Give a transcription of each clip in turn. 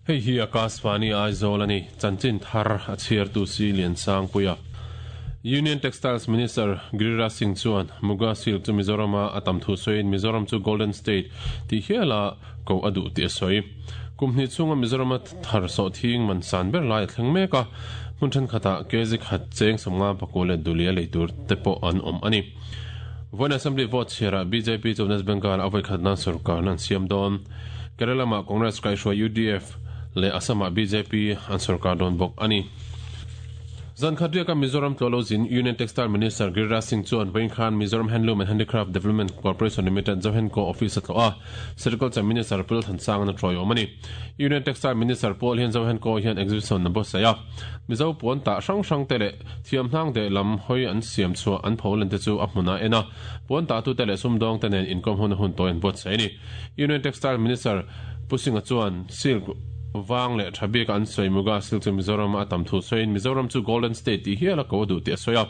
Hei hi Akashvani Aizawl a ni, chanchin thar a chhiartu si Liansangpuia. Union Textiles Minister Giriraj Singh chuan Muga Silk chu Mizorama a tam thu sawiin Mizoram chu Golden State tih hiala ko a duh tih a sawi. Kum hnih chhunga Mizorama thar sawhthing man san ber lai a thleng mek a, hmun thenkhatah kg khat cheng 50 pakua leh dulia lei tur te pawh an awm a ni. Vawiin Assembly vote chhiarah bjp chu West Bengal a vawikhat nan sorkarna an siam dawn. Kerala lamah Congress kaihhruai UDF leh Assam-ah bjp an sorkar dawn bawk a ni. Zan khat riaka Mizoram tlawh lo zin Union Textile Minister Giriraj Singh chuan vawiin khan Mizoram Handloom and Handicraft Development Corporation Limited Zohenco Office a tlawh a, Sericulture Minister Pu Lalthansanga a trawih awm a ni. Union Textile Minister Paul hian Zohenco hian exhibition a buatsaih a, Mizo puan tah hrang hrang te leh thiamhnang deh lam hawi an siam chhuah an pholen te chu a hmunah en a, puan tahtute leh sumdawng te nen inkawm huna hun tawi an buatsaih a ni. Union Textile Minister Pu Singh-a chuan silk vang leh tha bik a an sawi Muga silk chu Mizoram-a a tam thu sawiin Mizoram chu Golden State tih hial a ko a duh tih a sawi a.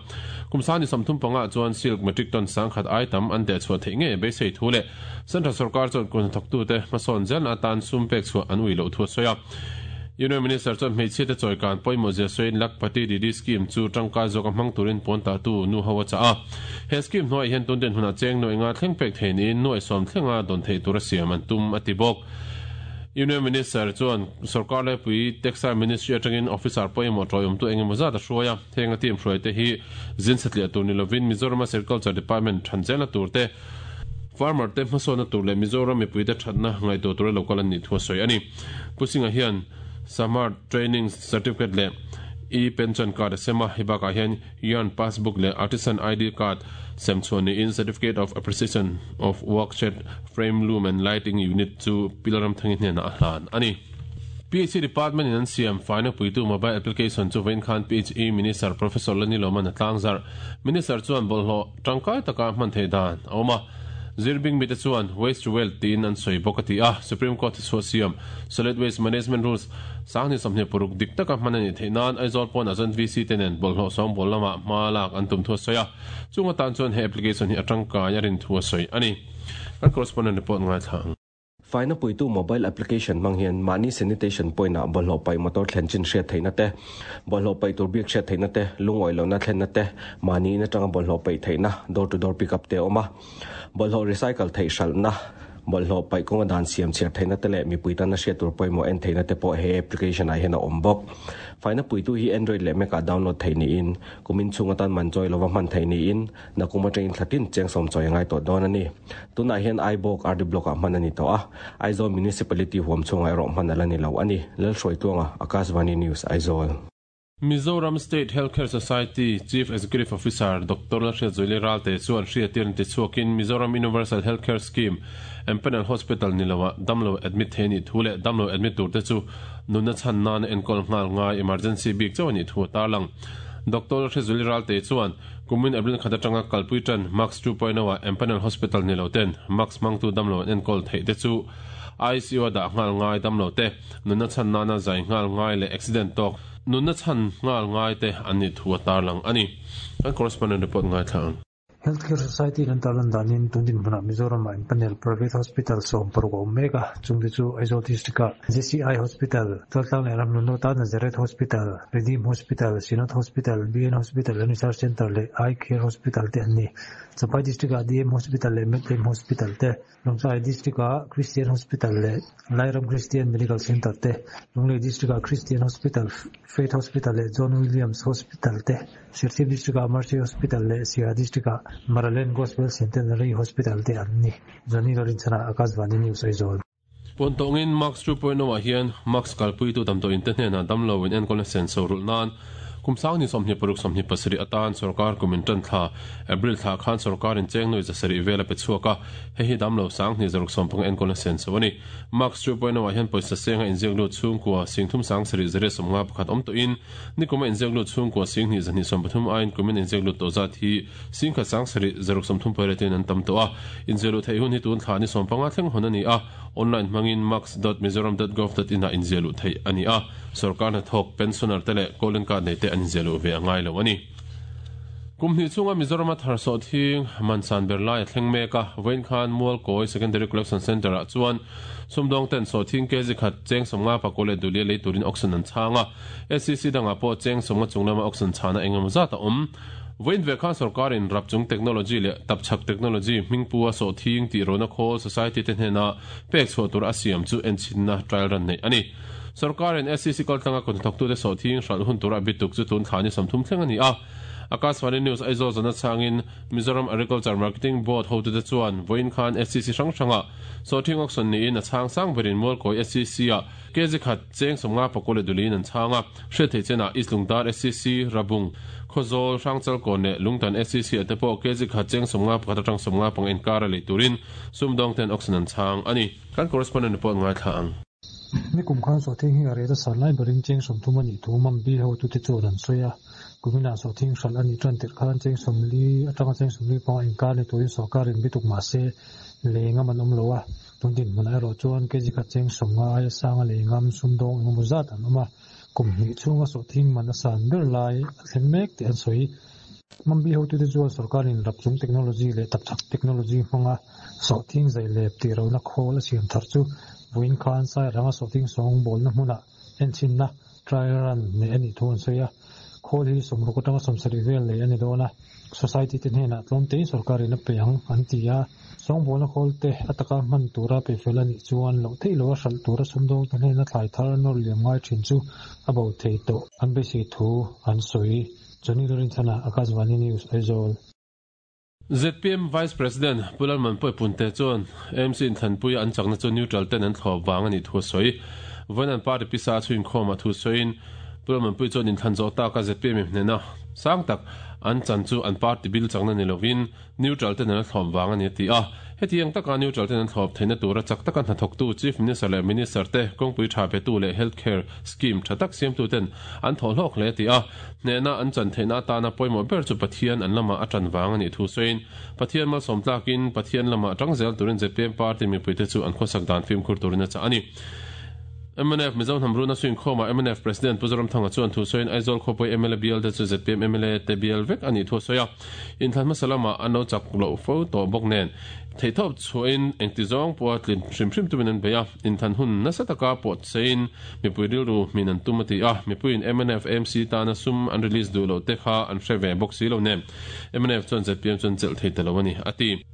Kum sani 35 ah chuan silk metric ton 10,000 ai tam an dehchhuah theih ngei a beisei thu leh Central sorkar chuan kut hnathawktute hmasawn zelna atan sum pek chhuah an ui loh thu a sawi a. Union Minister chuan hmeichhia te chawikan pawimawh zia sawiin Lakhpati Didi Scheme chu tangkai zawka hmang turin puan tahtu nu ho a chah a. He scheme hnuaiah hian tun dinhmunah cheng nuaih nga thleng pek thei niin nuaih sawm thlenga dawn theih tura siam an tum a ti bawk. Union Minister chuan sorkar laipui Textile Ministry atangin officer pawimawh tawiawmtu eng emaw zat a hruai a, heng a team hruaite hi zin satliah tur ni lovin Mizorama Sericulture Department than zelna tur te, Farmer te hmasawnna tur leh Mizoram mipuite thatna ngaihtuah tura lo kal an nih thu a sawi a ni. Pu Singh-a hian Samart Training Certificate leh E-Pension Card a sem a, hei bakah hian Yarn Passbook leh Artisan ID Card sem chhuah niin Certificate of Appreciation of Work Shed Frame Loom and Lighting Unit chu Pi Lalramthangi hnenah a hlan a ni. PHE Department in an siam faina puitu mobile application chu vawiin khan PHE Minister Professor Lani Lawman a tlangzarh. Minister chuan bawlhhlawh tangkai taka hman theih dan a awm a, zirbing mite chuan waste to wealth tiin an sawi bawk a ti a, Supreme Court chhuah siam Solid Waste Management Rules 2026 dik taka hman a nih theih nan Aizawl pawnah chuan VC te nen bawlhhlawh sawngbawl lamah hma lak an tum thu a sawi a, chung atan chuan he application hi a tangkai a rin thu a sawi a ni. Kan correspondent report ngaithla ang. Faina puitu mobile application hmang hian mahni sanitation point-ah bawlhhlawh paih motor thlen chin hriat theihna te, bawlhhlawh paih tur bik hriat theihna te, lungawi lohna thlenna te, mahni in atanga bawlhhlawh paih theihna, door to door pick up te a awm a. Bawlhhlawh recycle theih hralhna, bawlhhlawh paih kawnga dan siam chhiar theihna te leh mipui tana hriat tur pawimawh en theihna te pawh he application ah hian a awm bawk. Faina puitu hi Android leh Mac ah download theih niin, kumin chhung atan man chawi lova hman theih niin, Nakum atangin thla tin cheng sawm chawi a ngai tawh dawn a ni. Tunah hian Aibawk RD Block-ah hman a ni tawh a, Aizawl Municipality huam chhungah erawh hman a la ni lo a ni, Lalhruaitluanga, Akashvani News, Aizawl. Mizoram State Healthcare Society Chief Executive Officer Doctor Lalhriatzuali Ralte chuan hriatir an ti chhuakin Mizoram Universal Healthcare Scheme Empanel Hospital ni loah damlo admit thei a nih thu leh damlo admit turte chu nunna chhan nana enkawl nghal ngai emergency bik chauh a nih thu a tarlang. Doctor Lalhriatzuali Ralte chuan Kumin April khat atanga kalpui tan Max 2.0 ah Empanel Hospital ni lo ten Max hmangtu damlo an enkawl theih te chu ICU a dah nghal ngai damlo te, nunna chhan nana zai nghal ngai leh accident tawk nunna chhan nghal ngai te an nih thu a tarlang a ni. Kan correspondent report ngaithla ang. Healthcare Society in an tarlan danin tun dinhmunah Mizoramah Empanel Private Hospital 16 a awm mek a, chungte chu Aizawl District-ah JCI Hospital, Chaltlang leh Ramhlun North-a Nazareth Hospital, Redeem Hospital, Synod Hospital, BN Hospital and Research Centre leh Eye Care Hospital te an ni. Champhai District-ah DM Hospital leh Medlem Hospital te, Lawngtlai District-ah Christian Hospital leh Lairam Christian Medical Centre te, Lunglei District-ah Christian Hospital, Faith Hospital leh John Williams Hospital te, Serchhip District-ah Mercy Hospital leh Siaha District-ah Maraland Gospel Centenary Hospital te an ni. Johnny Lorinchana, Akashvani News, Aizawl. Puan tawngin Max 2.0 ah hian Max kalpuitu damdawiin te hnenah damlo in enkawlna senso rulh nan kum sangni 26 27 atan sorkar kum in tan thla April thla khan sorkar in cheng nuai 700 vel a pe chhuak a, hei hi damlo sangni 650 enkawlna senso a ni. Max 2.0 ah hian pawisa senga inziak lut chhungkua 37 751 awm tawhin nikuma inziak lut chhungkua 2213 aiin kumin inziak lut tawh zat hi 10 7 30 in an tam tawh a, inziah luh theih hun hi tun thla ni 15 thleng hawn a ni a, online hmangin max dot mizoram dot gov dot in ah inziah luh theih a ni a, sorkar hnathawk, pensioner te leh golden card nei te an inziah luh ve a ngai lo a ni. Kum hnih chhunga Mizorama thar sawhthing man san ber lai a thleng mek a, vawiin khan Mualkawi Secondary Collection Centre-ah chuan sumdawng ten sawhthing kg khat cheng sawmnga pakua leh duhliah lei turin auction an chhang a, SCC dangah pawh cheng sawmnga chung lama auction chhana eng emaw zat a awm. Vawiin ve khan sorkarin rapchung technology leh tapchhak technology hmingpua sawhthing tih rawhna khawl society te hnena pek chhuah tur a siam chu enchhinna trial run neih a ni. Sorkarin SCC kaltlanga kawthnathawktute sawhthing hralh hun tura bituk chu tun thla ni 30 thleng a ni a. Akashvani News Aizawl zana chhangin Mizoram Agriculture Marketing Board hotute chuan vawiin khan SCC hrang hrangah sawhthing auction niin a chhang sang berin Mualkawi SCC-ah kg khat cheng 50 pakua leh duliin an chhang a. Hriat theih chenah East Lungdar SCC, Rabung, Khawzawl, Hrangchalkawn leh Lungtan SCC-ah te pawh kg khat cheng 51 atang 55 inkara lei turin sumdawngten auction an chhang a ni. Kan correspondent report ngaithla ang. Nikum khan sawhthing hi a rel a san lai berin cheng 30 a nih thu Mambi hotute chuan an sawi a. Kuminah sawhthing hralh a nih tan tirh khan cheng 40 atanga cheng 45 inkar ni turin sorkarin bituk mah se lei ngam an awm lo a. Tun dinhmunah erawh chuan kg khat cheng 50 aia sanga lei ngam sumdawng engemaw zat an awm a. Kum hnih chhunga sawhthing man a san ber lai a thleng mek tih an sawi. Mambi hotute chuan sorkarin rapchung technology leh tapchhak technology hmanga sawhthing zai lep tih ro na khawl a siam thar chu vawiin khan Sairanga sawhthing sawng bawlna hmunah enchhinna trial run nei a nih thu an sawi a. Khawl hi 60 atanga 70 vel lei a ni dawn a. Society te hnenah tlawm tein sorkarin a pe ang an ti a. Sawng bawlna khawl te a taka hman tura pe fel a nih chuan loh theih loha hralh tura sumdawng te hnena thlai thar nawr liam ngai thin chu a bo thei tawh an beisei thu an sawi. Johnny Lorinthana, Akashvani News, Aizawl. ZPM Vice President Pu Lalmanpuii Punte chuan AMC inthlanpuia an chakna chu neutral ten an thlawp vang a nih thu a sawi. Vawiin an party pisa a chhuinkhawm a thu sawiin Pu Lalmanpuii chuan inthlan zawh taka ZPM in hnena sang tak an chan chu an party bil chakna ni lovin neutral ten an thlawp vang a ni a ti a. Hetiang taka neutral ten an thlawp theihna tura chak taka hnathawktu Chief Minister leh Minister te kawngpui tha petu leh health care scheme tha tak siamtu ten an thawh hlawk hle a ti a. Hnehna an chan theihna atana pawimawh ber chu Pathian an lamah a tan vang a nih thu sawiin, Pathian malsawm tlakin Pathian lamah tang zel turin ZPM party mipuite chu an khawsak dan fimkhur turin a chah a ni. Mnf Mizo hnam runa suinkhawmah mnf President Pu Zoramthanga chuan thu sawiin Aizawl khawpui mla bial te chu ZPM mla te bial vek a nih thu a sawi a. Inthlan hmasa lamah an lo chak loh fo tawh bawk nen theihtawp chhuahin engti zawng pawha tlin hrim hrim tumin an bei a. Inthlan hun nasa taka pawh cheiin mipui rilru hmin an tum a ti a, mipuiin mnf AMC tana sum an release duh loh te kha an hre ve bawk si lo nen mnf chuan ZPM chuan chelh thei ta lo a ni, a ti.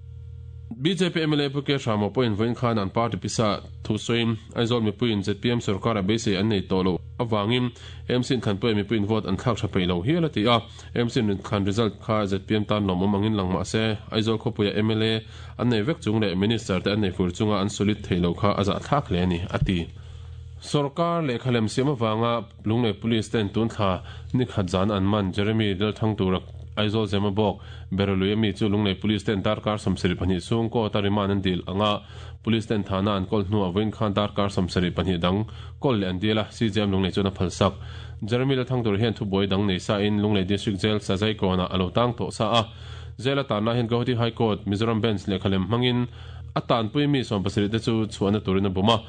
Bjp mla Pu K Hramo pawhin vawiin khan an party pisa thu sawiin Aizawl mipuiin ZPM sorkara beisei an nei tawh loh avangin AMC inthlanpuia mipuiin vote an thlak tha peih lo hial a ti a, AMC inthlan result kha ZPM tan lawmawm angin lang mah se Aizawl khawpuia mla an nei vek chung leh minister te an nei fur chunga an solid thei lo kha a zahthlak hle a ni, a ti. Sorkar lehkha lem siam avanga Lunglei Police ten tun thla ni khat zan an man Jeremy Delthang tura Aizawl Zema bawk Beralui ami chu Lunglei Police ten darkar 72 chhung court a remand an dil anga Police ten thana an kawl hnuah vawiin khan darkar 72 dang kawl leh an dil a, CJM Lunglei chuan a phalsak. Jeremy Lalthang tur hian thubuai dang nei sa in Lunglei District Jail Sazaikawnah a lo tang tawh sa a. Jail a tanna hian Guwahati High Court, Mizoram Bench lehkha lem hmangin a tanpui mi 17 te chu chhuahna turin a bum a.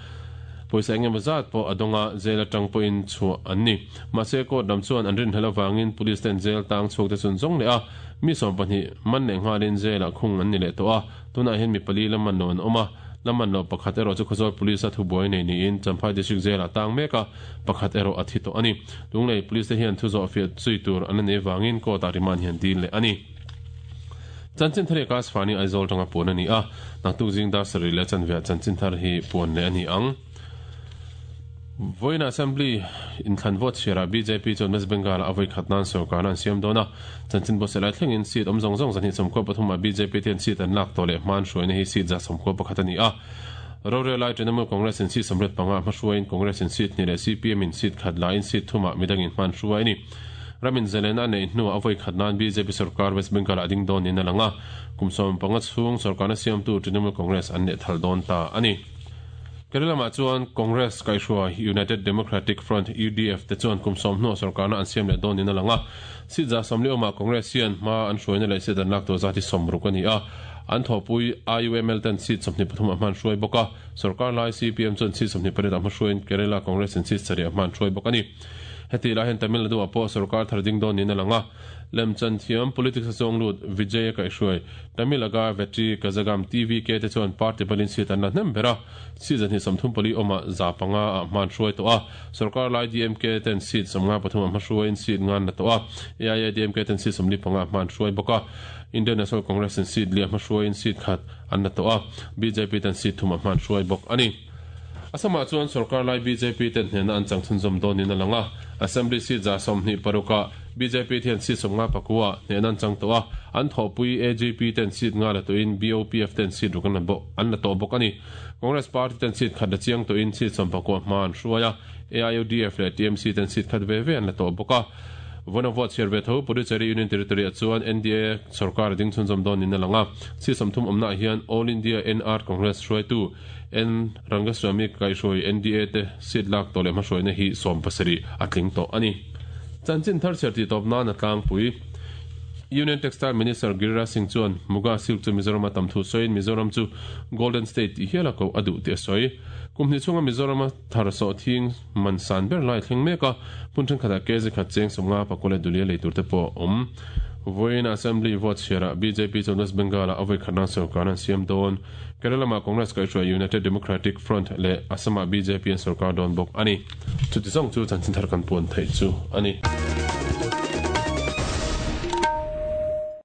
Pawisa eng emaw zat pawh a dawng a, jail atang pawhin chhuah an ni. Mahse, court lam chuan an rinhlelh avangin police ten jail tang chhuak te chun zawng leh a, mi 12 man leh nghalin jail ah khung an ni leh tawh a. Tunah hian mi pali la man lo an awm a, la man loh pakhat erawh chu Khawzawl Police a thubuai nei niin Champhai District Jail ah tang mek a, pakhat erawh a thi tawh a ni. Lunglei Police te hian thu zawh fiah zui tur an la nei vangin court ah remand hian dil leh a ni. Chanchin thar hi Akashvani Aizawl tanga puan a ni a, naktuk zing dar sarih leh chanveah chanchin thar hi puan leh a ni ang. Vawiin Assembly inthlan vote chhiarah bjp chuan West Bengal-ah a vawi khat nan sorkarna an siam dawn a, chanchin buatsaih lai thlengin seat awm zawng zawng 293 ah bjp te hian seat an lak tawh leh hman hruaina hi seat 191 a ni a. Rorel lai Trinamool Congress in seat 85 ah hmahruaiin Congress in seat hnih leh CPM in seat khat lain seat thumah midangin hman hruai a ni. Ramin zalena a neih hnuah a vawi khat nan bjp sorkar West Bengal-ah a ding dawn niin a lang a, kum 15 chhung sorkarna siamtu Trinamool Congress an lehthal dawn ta a ni. Kerala lamah chuan Congress kaihhruai United Democratic Front, UDF, te chuan kum 10 hnuah sorkarna an siam leh dawn niin a lang a. Seat 40 awmah Congress hian hma an hruaina leh seat an lak tur zat hi 60 a ni a. An thawhpui IUML ten seat 23 ah hman hruai bawk a. Sorkar lai CPM chuan seat 28 ah hma hruaiin Kerala Congress in seat 7 ah hman hruai bawk a ni. Hetih lai hian Tamil Nadu ah pawh sorkar thar ding dawn niin a lang a. Lemchan thiam politics a chuang lut Vijay a kaihhruai Tamilaga Vettri Kazhagam, TVK, te chuan party balin seat an la hnem ber a, seat 234 awmah 500 ah hma an hruai tawh a. Sorkar lai DMK ten seat 53 ah hmahruaiin seat nga an la tawh a, AIADMK ten seat 45 ah hma an hruai bawk a. Indian National Congress in seat li ah hmahruaiin seat khat an la tawh a, bjp ten seat thum ah hma an hruai bawk a ni. Assam-ah chuan sorkar lai bjp ten hnehna an chang chhunzawm dawnin a lang a, Assembly seat 126 ah bjp te hian seat 51 ah hnehna an chang tawh a, an thawhpui AGP ten seat nga la tawhin BOPF ten seat ruk an la bawk an la tawh bawk a ni. Congress party ten seat khat la chiang tawhin seat 19 hma an hruai a, AIUDF leh TMC ten seat khat ve ve an la tawh bawk a. Vawiin vote chhiar ve tho Puducherry Union Territory ah chuan NDA sorkar a ding chhunzawm dawnin a lang a, seat 30 awmna ah hian All India NR Congress hruaitu N. Rangaswamy kaihhruai NDA te seat lak tawh leh hmahruaina hi 17 a tling tawh a ni. Chanchin thar chhiar tih tawp nan a tlangpui. Union Textile Minister Giriraj Singh chuan Muga Silk chu Mizoram a tam thu sawiin Mizoram chu Golden State tih hial a koh a duh tih a sawi. Kum hnih chhunga Mizoram a thar sawh thing man san ber lai a thleng mek a, hmun thenkhatah kg khat cheng 50 pakua leh dulia lei tur te pawh a awm. Vawiin Assembly vote chhiarah bjp chuan West Bengal-ah a vawi khat nan sorkar an siam dawn. Kerala lamah Congress kaihhruai United Democratic Front leh Assam-ah bjp an sorkar dawn bawk a ni. Chuti zawng chu chanchin thar kan puan theih chu a ni.